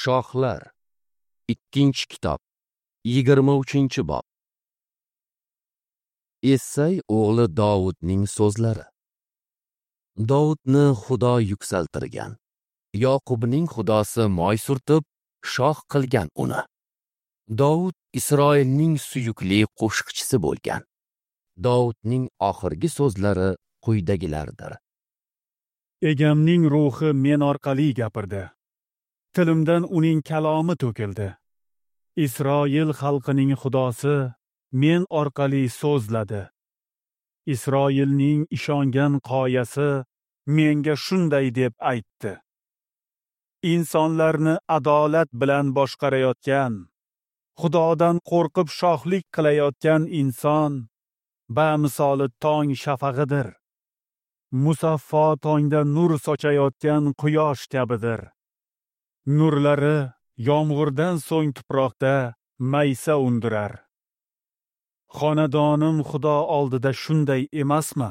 Shohlar, 2-kitob, 23-bob. Essay o'g'li Dovudning so'zlari. Dovudni Xudo yuksaltirgan. Yoqubning Xudosi moy surtib, shoh qilgan uni. Dovud Isroilning suyukli qo'shiqchisi bo'lgan. Dovudning oxirgi so'zlari quyidagilardir. Egamning ruhi men orqali gapirdi. Tilimdan uning kalomi to'kildi. Isroil xalqining Xudosi men orqali so'zladi. Isroilning ishongan qoyasi menga shunday deb aytdi: Insonlarni adolat bilan boshqarayotgan, Xudodan qo'rqib shohlik qilayotgan inson bamisoli tong shafag'idir. Musaffo tongda nur sochayotgan quyosh kabidir. Nurlari yomg'irdan so'ng tuproqda maysa undirar. Xonadonim Xudo oldida shunday emasmi?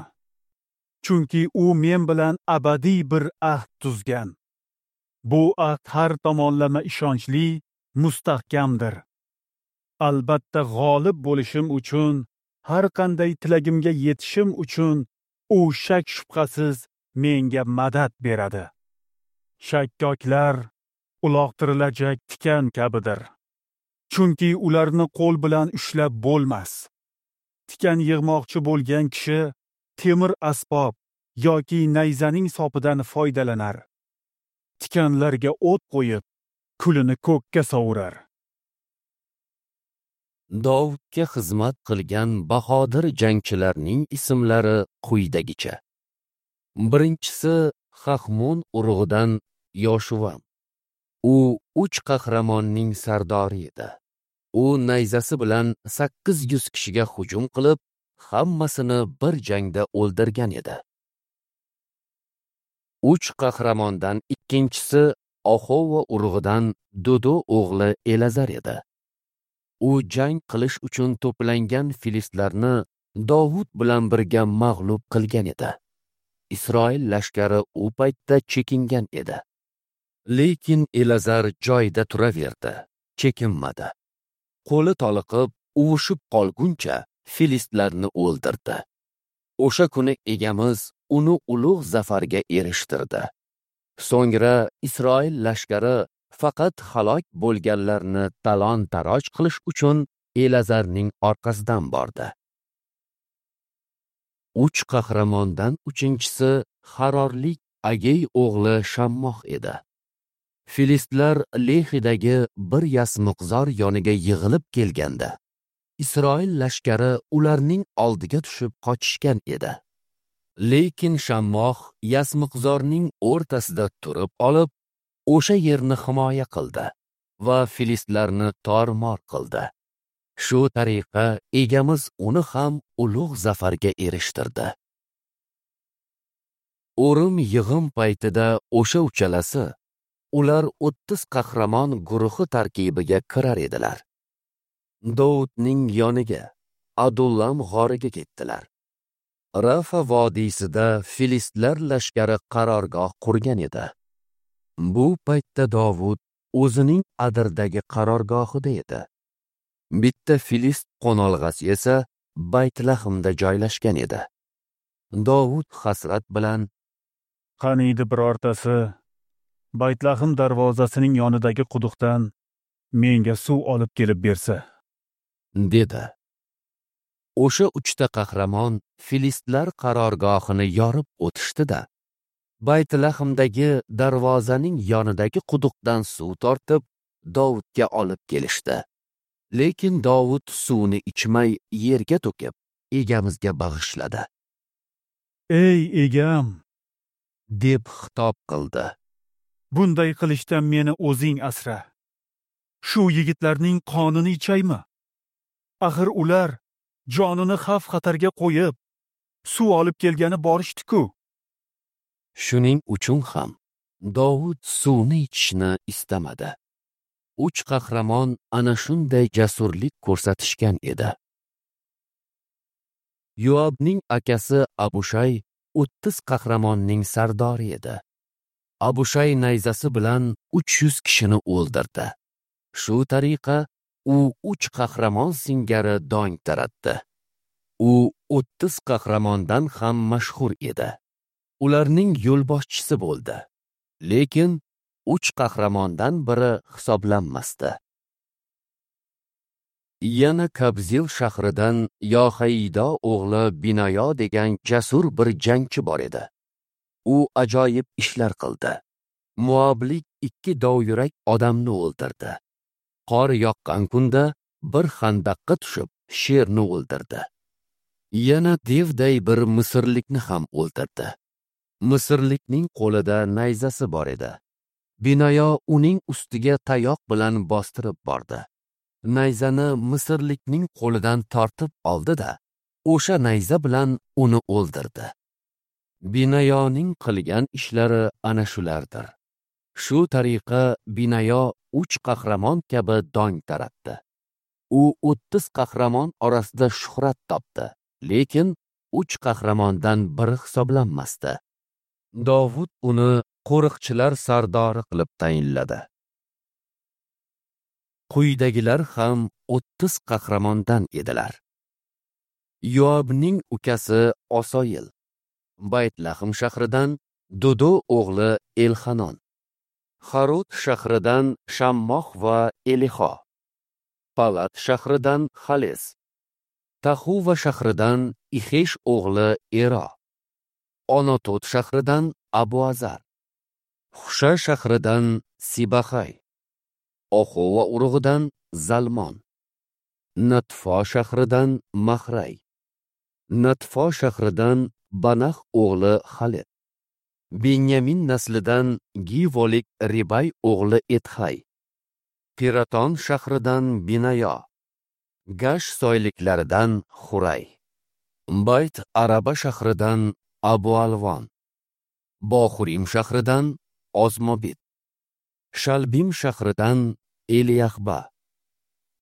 Chunki u men bilan abadiy bir ahd tuzgan. Bu ahd har tomonlama ishonchli, mustahkamdir. Albatta g'olib bo'lishim uchun, har qanday tilagimga yetishim uchun u shak shubhasiz menga madad beradi. Shakkoklar uloqtirilajak tikan kabidir. Chunki ularni qo'l bilan ushlab bo'lmas. Tikan yig'moqchi bo'lgan kishi temir asbob yoki nayzaning sopidan foydalanar. Tikanlarga o't qo'yib, kulini ko'kka sovurar. Dovudga xizmat qilgan bahodir jangchilarning ismlari quyidagicha. Birinchisi Xahmon urug'idan Yoshuvam. U 3 qahramonning sardori edi. U nayzasi bilan 800 kishiga hujum qilib, hammasini bir jangda o'ldirgan edi. 3 qahramondan ikkinchisi Axova urug'idan Dodo o'g'li Elazar edi. U jang qilish uchun to'plangan filistlarni Dovud bilan birga mag'lub qilgan edi. Isroil lashkari u paytda chekingan edi. Lekin Elazar joyida turaverdi, chekinmadi. Qo'li toliqib, uvushib qolguncha filistlarni o'ldirdi. O'sha kuni egamiz uni ulug' zafarga erishtirdi. So'ngra Isroil lashkari faqat halok bo'lganlarni talon-taroj qilish uchun Elazarning orqasidan bordi. 3 qahramondan uchinchisi Harorlik Agey o'g'li Shammoh edi. Filistlar Lehidagi bir yasmiqzor yoniga yig'ilib kelganda, Isroil lashkari ularning oldiga tushib qochishgan edi. Lekin Shammoh yasmiqzorning o'rtasida turib olib, o'sha yerni himoya qildi va filistlarni tor-mor qildi. Shu tariqa egamiz uni ham ulug' zafarga erishtirdi. O'rim yig'im paytida o'sha uchalasi ular 30 qahramon guruhi tarkibiga kirar edilar. Dovudning yoniga, Adullam g'origa ketdilar. Rafa vodiysida filistlar lashkari qarorgoh qurgan edi. Bu paytda Dovud o'zining Adirdagi qarorgohida edi. Bitta filist qo'nolg'asi esa Baytlahmda joylashgan edi. Dovud hasrat bilan: "Qaniydi birortasi Baytlahm darvozasining yonidagi quduqdan menga suv olib kelib bersa", dedi. O'sha 3 qahramon filistlar qarorgohini yorib o'tishdi-da, Baytlahmdagi darvozaning yonidagi quduqdan suv tortib, Dovudga olib kelishdi. Lekin Dovud suvni ichmay yerga to'kib, egamizga bag'ishladi. "Ey egam", deb xitob qildi. "Bunday qilishdan meni o'zing asra. Shu yigitlarning qonini ichaymi? Axir ular jonini xavf-xatarga qo'yib, suv olib kelgani borishdi-ku." Shuning uchun ham Dovud suvni ichishni istamadi. 3 qahramon ana shunday jasurlik ko'rsatishgan edi. Yoabning akasi Abushay 30 qahramonning sardori edi. Abushay nayzasi bilan 300 kishini o'ldirdi. Shu tariqa u 3 qahramon singari dong taratdi. U 30 qahramondan ham mashhur edi. Ularning yo'lboshchisi bo'ldi. Lekin 3 qahramondan biri hisoblanmasdi. Yana Kabzil shahridan Yohaydo o'g'li Binoyo degan jasur bir jangchi bor edi. U ajoyib ishlar qildi. Moablik 2 dovyurak odamni o'ldirdi. Qor yoqqan kunda bir xandaqqa tushib, sherni o'ldirdi. Yana devday bir misrlikni ham o'ldirdi. Misrlikning qo'lida nayzasi bor edi. Binoyo uning ustiga tayoq bilan bostirib bordi. Nayzani misrlikning qo'lidan tortib oldi-da, o'sha nayza bilan uni o'ldirdi. Binoyoning qilgan ishlari ana shulardir. Shu tariqa Binoyo 3 qahramon kabi dong taratdi. U 30 qahramon orasida shuhrat topdi, lekin 3 qahramondan biri hisoblanmasdi. Dovud uni qo'riqchilar sardori qilib tayinladi. Quyidagilar ham 30 qahramondan edilar. Yoabning ukasi Osoyil, Baytlahm shahridan Dudo o'g'li Elhanon, Harod shahridan Shammoh va Elixo, Palat shahridan Xales, Tahuva shahridan Ixesh o'g'li Ero, Onotot shahridan Abu Azar, Xusha shahridan Sibahay, Oxova urug'idan Zalmon, Natfo shahridan Mahray, Natfo shahridan Banax o'g'li Xaled, Benyamin naslidan Givolik Ribay o'g'li Ethay, Piraton shahridan Binayo, Gash soyliklaridan Xuray, Bayt Araba shahridan Abu Alvon, Bohurim shahridan Ozmobit, Shalbim shahridan Eliyahba,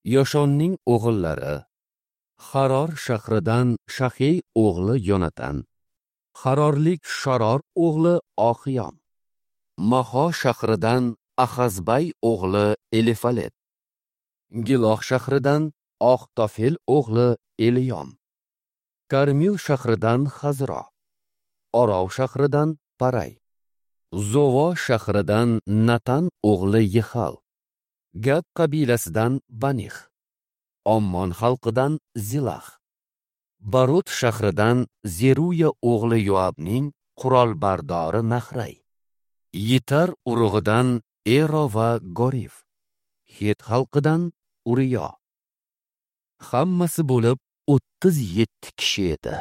Yoshonning o'g'illari Haror shahridan Shahey o'g'li Yonatan, Harorlik Sharor o'g'li Oxiyom, Maho shahridan Ahazbay o'g'li Elifalet, Giloh shahridan Oxtofel o'g'li Eliyom, Karmil shahridan Hazro, Orov shahridan Paray, Zovo shahridan Natan o'g'li Yehal, Gad qabilasidan Banix, Ommon xalqidan Zilax, Barot shahridan Zeruya o'g'li Yoabning qurolbardori Nahray, Yitar urug'idan Ero va Gorif, Het xalqidan Uriyo. Hammasi bo'lib 37 kishi edi.